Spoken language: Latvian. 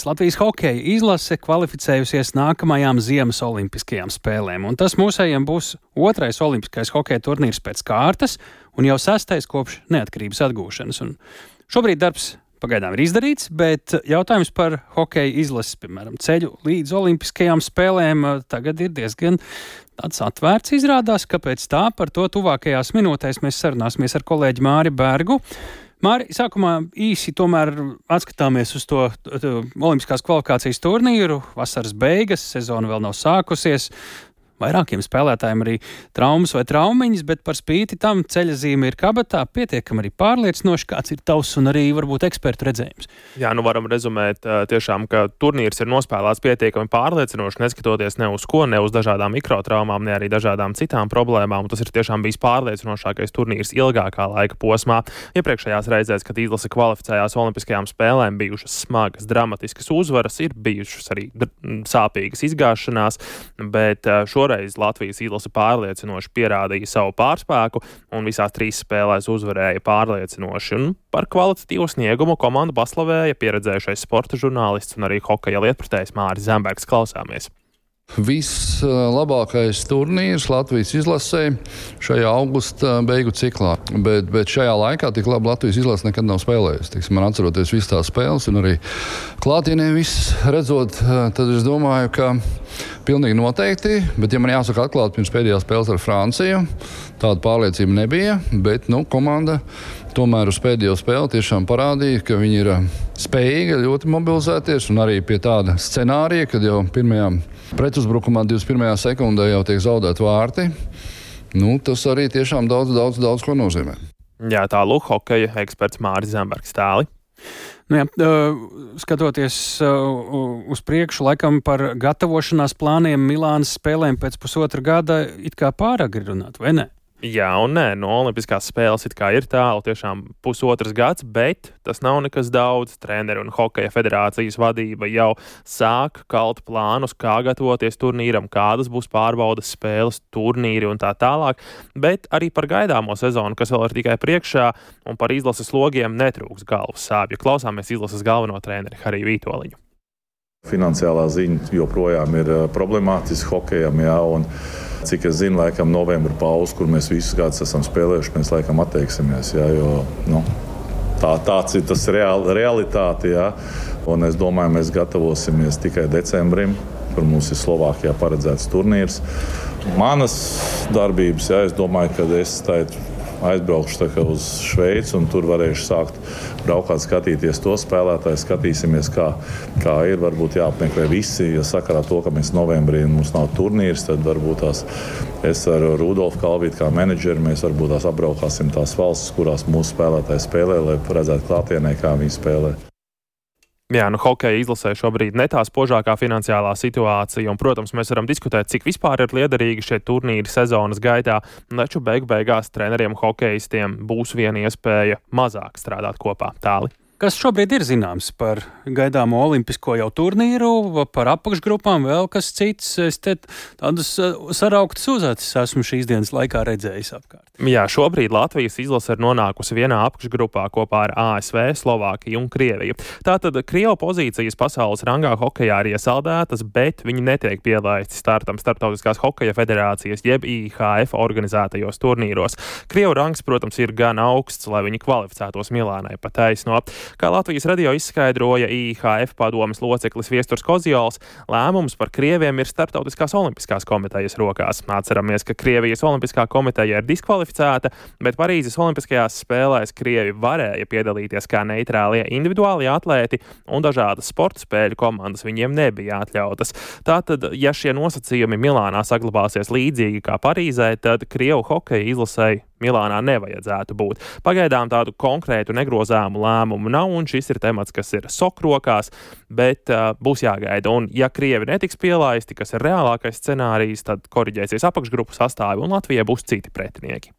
Latvijas hokeja izlase kvalificējusies nākamajām ziemas olimpiskajām spēlēm, un tas mūsējiem būs otrais olimpiskais hokeja turnīrs pēc kārtas un jau 6. kopš neatkarības atgūšanas. Un šobrīd darbs pagaidām ir izdarīts, bet jautājums par hokeja izlases, piemēram, ceļu līdz olimpiskajām spēlēm tagad ir diezgan tāds atvērts izrādās. Kāpēc tā? Par to tuvākajās minūtēs mēs sarunāsimies ar kolēģi Māri Bergu. Māri, sākumā īsi tomēr atskatāmies uz to olimpiskās kvalifikācijas turnīru. Vasaras beigas, sezona vēl nav sākusies. Vairākiem spēlētājiem arī traumas vai traumiņas, bet par spīti tam ceļazīme ir kabatā, pietiekami arī pārliecinoši. Kāds ir tavs un arī varbūt ekspertu redzējums? Jā, varam rezumēt tiešām, ka turnīrs ir nospēlēts pietiekami pārliecinoši, neskatoties ne uz ko, ne uz dažādām mikrotraumām, ne arī dažādām citām problēmām. Tas ir tiešām bijis pārliecinošākais turnīrs ilgākā laika posmā. Iepriekšējās reizēs, kad izlase kvalificējās olimpiskajām spēlēm, bijušas smagas, dramatiskas uzvaras, ir bijušas arī sāpīgas izgāšanās, bet šoreiz Latvijas izlase pārliecinoši pierādīja savu pārspēku un visās 3 spēlēs uzvarēja pārliecinoši. Un par kvalitatīvu sniegumu komandu paslavēja pieredzējušais sporta žurnālists un arī hokeja lietpratējs Māris Zembergs. Klausāmies! Vislabākais turnīrs Latvijas izlasē šajā augusta beigu ciklā, bet šajā laikā tik labi Latvijas izlase nekad nav spēlējusi. Man atceroties visas tās spēles un arī klātienē viss redzot, tad es domāju, ka pilnīgi noteikti, bet ja man jāsaka atklāt, pirms pēdējās spēles ar Franciju, tāda pārliecība nebija, bet komanda tomēr uz pēdējo spēli tiešām parādīja, ka viņi ir spējīgi ļoti mobilizēties un arī pie tāda scenārija, kad jau pirmajā pretuzbrukumā 21. sekundē jau tiek zaudēti vārti. Tas arī tiešām daudz ko nozīmē. Jā, tālūk hokeja eksperts Māris Zembergs tāli. Skatoties uz priekšu, laikam par gatavošanās plāniem Milānas spēlēm pēc pusotra gada it kā pāragri runāt, vai ne? Jā un nē, olimpiskās spēles it kā ir tālu, tiešām pusotrs gads, bet tas nav nekas daudz. Treneri un hokeja federācijas vadība jau sāk kalt plānus, kā gatavoties turnīram, kādas būs pārbaudas spēles, turnīri un tā tālāk, bet arī par gaidāmo sezonu, kas vēl ir tikai priekšā, un par izlases logiem netrūks galvas sāpju. Klausāmies izlases galveno treneri Hariju Vītoliņu. Finansiālā ziņa joprojām ir problemātiska hokejam, jā, un cik es zinu, laikam novembra pauze, kur mēs visus gadus esam spēlējuši, mēs laikam atteiksimies, jā, jo tāds ir tas realitāte, jā, un es domāju, mēs gatavosimies tikai decembrim, kur mums ir Slovākijā paredzēts turnīrs. Manas darbības, jā, es domāju, ka es aizbraukšu uz Šveici un tur varēšu sākt braukāt, skatīties to spēlētāju, skatīsimies, kā ir. Varbūt jāapmeklē visi, ja sakarā to, ka mēs novembrī mums nav turnīrs, tad varbūt es ar Rudolfu Kalvītu kā menedžeri, mēs varbūt apbraukāsim tās valstis, kurās mūsu spēlētāji spēlē, lai redzētu klātienē, kā viņi spēlē. Jā, hokeja izlasē šobrīd ne tā spožākā finansiālā situācija, un, protams, mēs varam diskutēt, cik vispār ir liederīgi šie turnīri sezonas gaitā, taču beigās treneriem hokejistiem būs viena iespēja mazāk strādāt kopā. Tāli. Kas šobrīd ir zināms par gaidāmo olimpisko jau turnīru, par apakšgrupām, vēl kas cits? Es te tādus sarauktus uzacis esmu šīs dienas laikā redzējis apkārt. Jā, šobrīd Latvijas izlase ir nonākusi vienā apakšgrupā kopā ar ASV, Slovākiju un Krieviju. Tātad Krievu pozīcijas pasaules rangā hokejā ir iesaldētas, bet viņi netiek pielaisti startam Starptautiskās hokeja federācijas jeb IHF organizētajos turnīros. Krievu rangs, protams, ir gan augsts, lai viņi kvalificētos Milānai pa taisno. Kā Latvijas radio izskaidroja IHF padomes loceklis Viesturs Kozjols, lēmums par Krieviem ir Starptautiskās olimpiskās komitejas rokās. Atceramies, ka Krievijas olimpiskā komiteja ir diskvalificēta, bet Parīzes olimpiskajās spēlēs Krievi varēja piedalīties kā neitrālie individuālie atlēti, un dažādas sporta spēļu komandas viņiem nebija atļautas. Tātad, ja šie nosacījumi Milānā saglabāsies līdzīgi kā Parīzē, tad Krievu hokeja izlasei Milānā nevajadzētu būt. Pagaidām tādu konkrētu negrozāmu lēmumu nav, un šis ir temats, kas ir sokrokās, bet būs jāgaida. Un ja Krievi netiks pielaisti, kas ir reālākais scenārijs, tad koriģēsies apakšgrupu sastāvi, un Latvijai būs citi pretinieki.